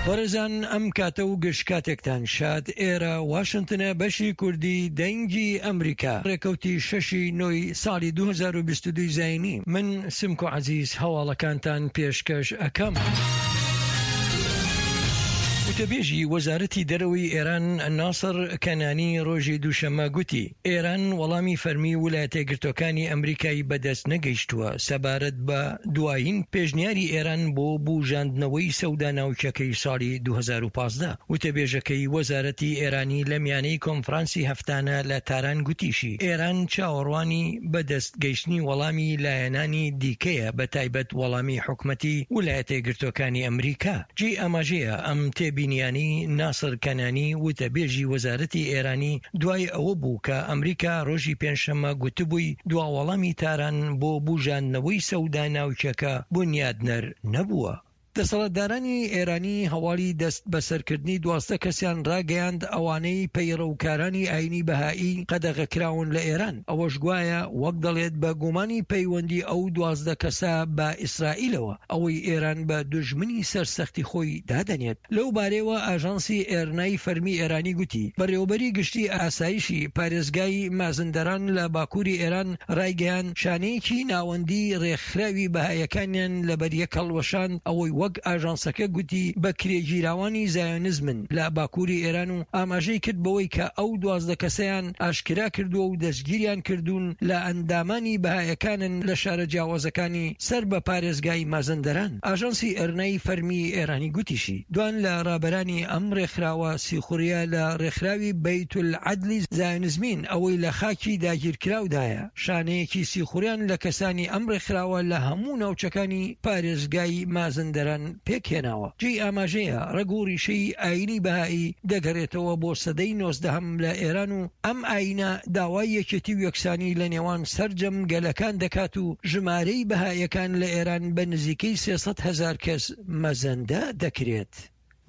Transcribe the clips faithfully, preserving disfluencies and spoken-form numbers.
بەڕێزان ئەم کاتە و گشت کاتێکتان شاد. ئێرە واشنتنە، بەشی کوردی دەنگی ئەمریکا، ڕێکەوتی شەشی نۆی ساڵی دوو هەزار و بیست و دوو زایینی. من سمکۆ عەزیز هەواڵەکانتان پێشکەش ئەکەم. وتەبێژی وەزارەتی دەرەوەی ئێران ناسڕ کەنانی ڕۆژی دووشەممە گوتی ئێران وەڵامی فەرمی ولایەتە یەکگرتووەکانی ئەمریکای بەدەست نەگەیشتووە سەبارەت بە دوایین پێشنیاری ئێران بۆ بوژاندنەوەی سەودا ناوکیەکەی ساڵی دوو هەزار و پازدە. وتەبێژەکەی وەزارەتی ئێرانی لە میانەی کۆنفرانسی هەفتانە لە تاران گوتیشی ئێران چاوەڕوانی بەدەست گەیشتنی وەڵامی لایەنانی دیکەیە، بە تایبەت وەڵامی حکومەتی ولایەتە یەکگرتووەکانی ئەمریکا. جێی ئاماژەیە ئەم تێبینیانەی ناسر کەنانی وتەبێژی وەزارەتی ئێرانی دوای ئەوە بوو کە ئەمریکا ڕۆژی پێنجشەممە گوتبووی دوا وەڵامی تاران بۆ بوژاندنەوەی سەودا ناوکیەکە بونیادنەر نەبووە. دەسەڵاتدارانی ئێرانی هەواڵی دەست بەسەرکردنی دوازدە کەسیان ڕاگەیاند ئەوانەی پەیڕەوکارانی ئاینی بەهایی قەدەغەکراون لە ئێران، ئەوەش گوایە وەک دەڵێت بە گومانی پەیوەندی ئەو دوازدە کەسە بە ئیسرائیلەوە، ئەوەی ئێران بە دوژمنی سەرسەختی خۆی دادەنێت. لەو بارەیەوە ئاژانسی ئێرنای فەرمی ئێرانی گوتی، بەڕێوەبەری گشتی ئاسایشی پارێزگای مازندەران لە باکووری ئێران ڕایگەیاند، شانەیەکی ناوەندی ڕێکخراوی بەهایەکانیان لەبەریەک هەڵوەشاند، ئەوەی وەک ئاژانسەکە گوتی بە کرێگیراوانی زایۆنزمن لە باکووری ئێران و ئاماژەی کرد بەوەی کە ئەو دوازدە کەسەیان ئاشکرا کردووە و دەستگیریان کردوون لە ئەندامانی بەهایەکانن لە شارە جیاوازەکانی سەر بە پارێزگای مازندەران. ئاژانسی ئێرنای فەرمی ئێرانی گوتیشی دوان لە ڕابەرانی ئەم ڕێکخراوە سیخوڕیە لە ڕێکخراوی بەیتولعەدلی زایۆنزمین ئەوەی لە خاکی داگیرکراودایە، شانەیەکی سیخوڕیان لە کەسانی ئەم ڕێکخراوە لە هەموو ناوچەکانی پارێزگای مازندەران پێکهێناوە. جێی ئاماژەیە ڕەگ و ڕیشەی ئاینی بەهایی دەگەڕێتەوە بۆ سەدەی نۆزدەهەم لە ئێران و ئەم ئاینە داوای یەکێتی و یەکسانی لە نێوان سەرجەم گەلەکان دەکات و ژمارەی بەهایەکان لە ئێران بە نزیکەی سێ سەد هەزار کەس مەزەندە دەکرێت.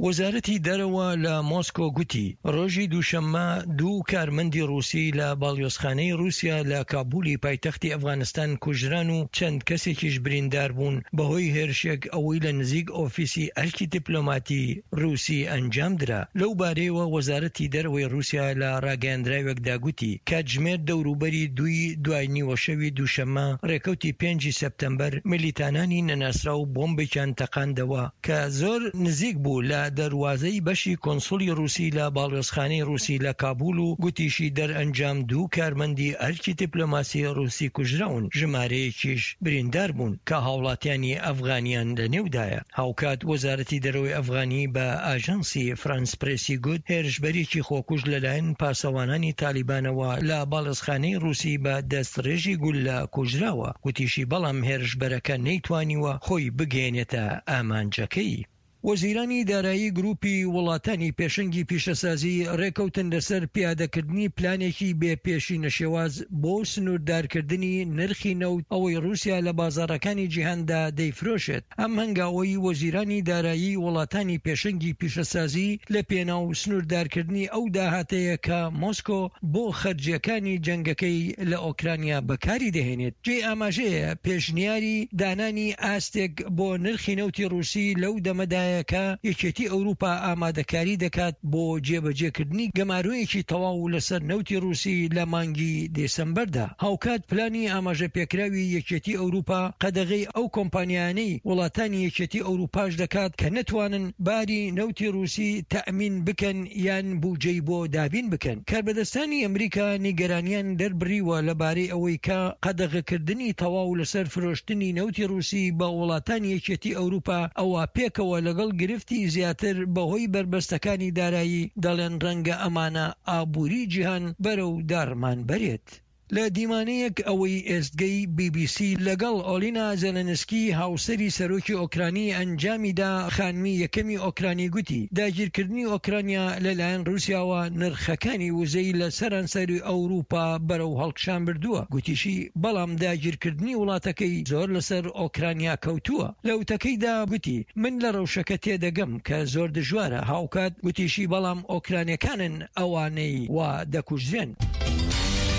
وەزارەتی دەرەوە لە مۆسکۆ گوتی ڕۆژی دووشەممە دوو کارمەندی ڕووسی لە باڵیۆزخانەی ڕووسیا لە کابولی پایتەختی ئەفغانستان کوژران و چەند کەسێکیش بریندار بوون بەهۆی هێرشێک ئەوەی لە نزیک ئۆفیسی ئەرکی دیپلۆماتی ڕووسی ئەنجام درا. لەو بارەیەوە وەزارەتی دەرەوەی ڕووسیا لە ڕاگەیەندراوێکدا گوتی کاتژمێر دەوروبەری دووی دوای نیوەشەوی دووشەممە ڕێکەوتی پێنجی سێپتەمبەر ملیتانانی نەناسراو بۆمبێکیان تەقاندەوە کە زۆر نزیک بوو لە دەروازەی بەشی کۆنسولی ڕووسی لە باڵیۆزخانەی ڕووسی لە کابول و گوتیشی دەرئەنجام دوو کارمەندی ئەرکی دیپلۆماسی ڕووسی کوژراون، ژمارەیەکیش بریندار بوون کە هاوڵاتیانی ئەفغانیان لەنێودایە. هاوکات وەزارەتی دەرەوەی ئەفغانی بە ئاژانسی فرانس پرێسی گوت هێرشبەرێکی خۆکوژ لەلایەن پاسەوانانی تالیبانەوە لە باڵیۆزخانەی ڕووسی بە دەستڕێژی گوللە کوژراوە، گوتیشی بەڵام هێرشبەرەکە نەیتوانیوە خۆی بگەیەنێتە ئامانجەکەی. وەزیرانی دارایی گروپی وڵاتانی پێشەنگی پیشەسازی ڕێکەوتن لەسەر پیادەکردنی پلانێکی بێ پێشینە شێواز بۆ سنووردارکردنی نرخی نەوت ئەوەی ڕووسیا لە بازاڕەکانی جیهاندا دەیفرۆشێت. ئەم هەنگاوەی وەزیرانی دارایی وڵاتانی پێشەنگی پیشەسازی لە پێناو سنووردارکردنی ئەو داهاتەیە کە مۆسکۆ بۆ خەرجیەکانی جەنگەکەی لە ئۆکرانیا بەکاری دەهێنێت. جێی ئاماژەیە پێشنیاری دانانی ئاستێک بۆ نرخی نەوتی ڕووسی لەو دەمەدایە کە یەکێتی ئەوروپا ئامادەکاری دەکات بۆ جێبەجێکردنی گەمارۆیەکی تەواو لەسەر نەوتی ڕووسی لە مانگی دێسەمبەردا. هاوکات پلانی ئاماژە پێکراوی یەکێتی ئەوروپا قەدەغەی ئەو کۆمپانیانەی وڵاتانی یەکێتی ئەوروپاش دەکات کە نەتوانن باری نەوتی ڕووسی تەئمین بکەن یان بودجەی بۆ دابین بکەن. کاربەدەستانی ئەمریکا نیگەرانیان دەربڕیوە لەبارەی ئەوەی کە قەدەغەکردنی تەواو لەسەر فرۆشتنی نەوتی ڕووسی بە وڵاتانی یەکێتی ئەوروپا ئەوە پێکەوە لەگەڵ گرفتی زیاتر بەهۆی بەربەستەکانی دارایی دەڵێن ڕەنگە ئەمانە ئابووری جیهان بەرەو داڕمان بەرێت. لە دیمانەیەک ئەوەی ئێستگەی بی بی سی لەگەڵ ئۆلینا زێلێنسکی هاوسەری سەرۆکی ئۆکرانی ئەنجامیدا، خانمی یەکەمی ئۆکرانی گوتی داگیرکردنی ئۆکرانیا لەلایەن ڕووسیاوە نرخەکانی وزەی لە سەرانسەری ئەوروپا بەرەو هەڵکشان بردووە. گوتیشی بەڵام داگیرکردنی وڵاتەکەی زۆر لەسەر ئۆکرانیا کەوتووە. لە وتەکەیدا گوتی من لە ڕەوشەکە تێدەگەم کە زۆر دژوارە. هاوکات گوتیشی بەڵام ئۆکرانیەکانن ئەوانەی وا دەکوژرێن.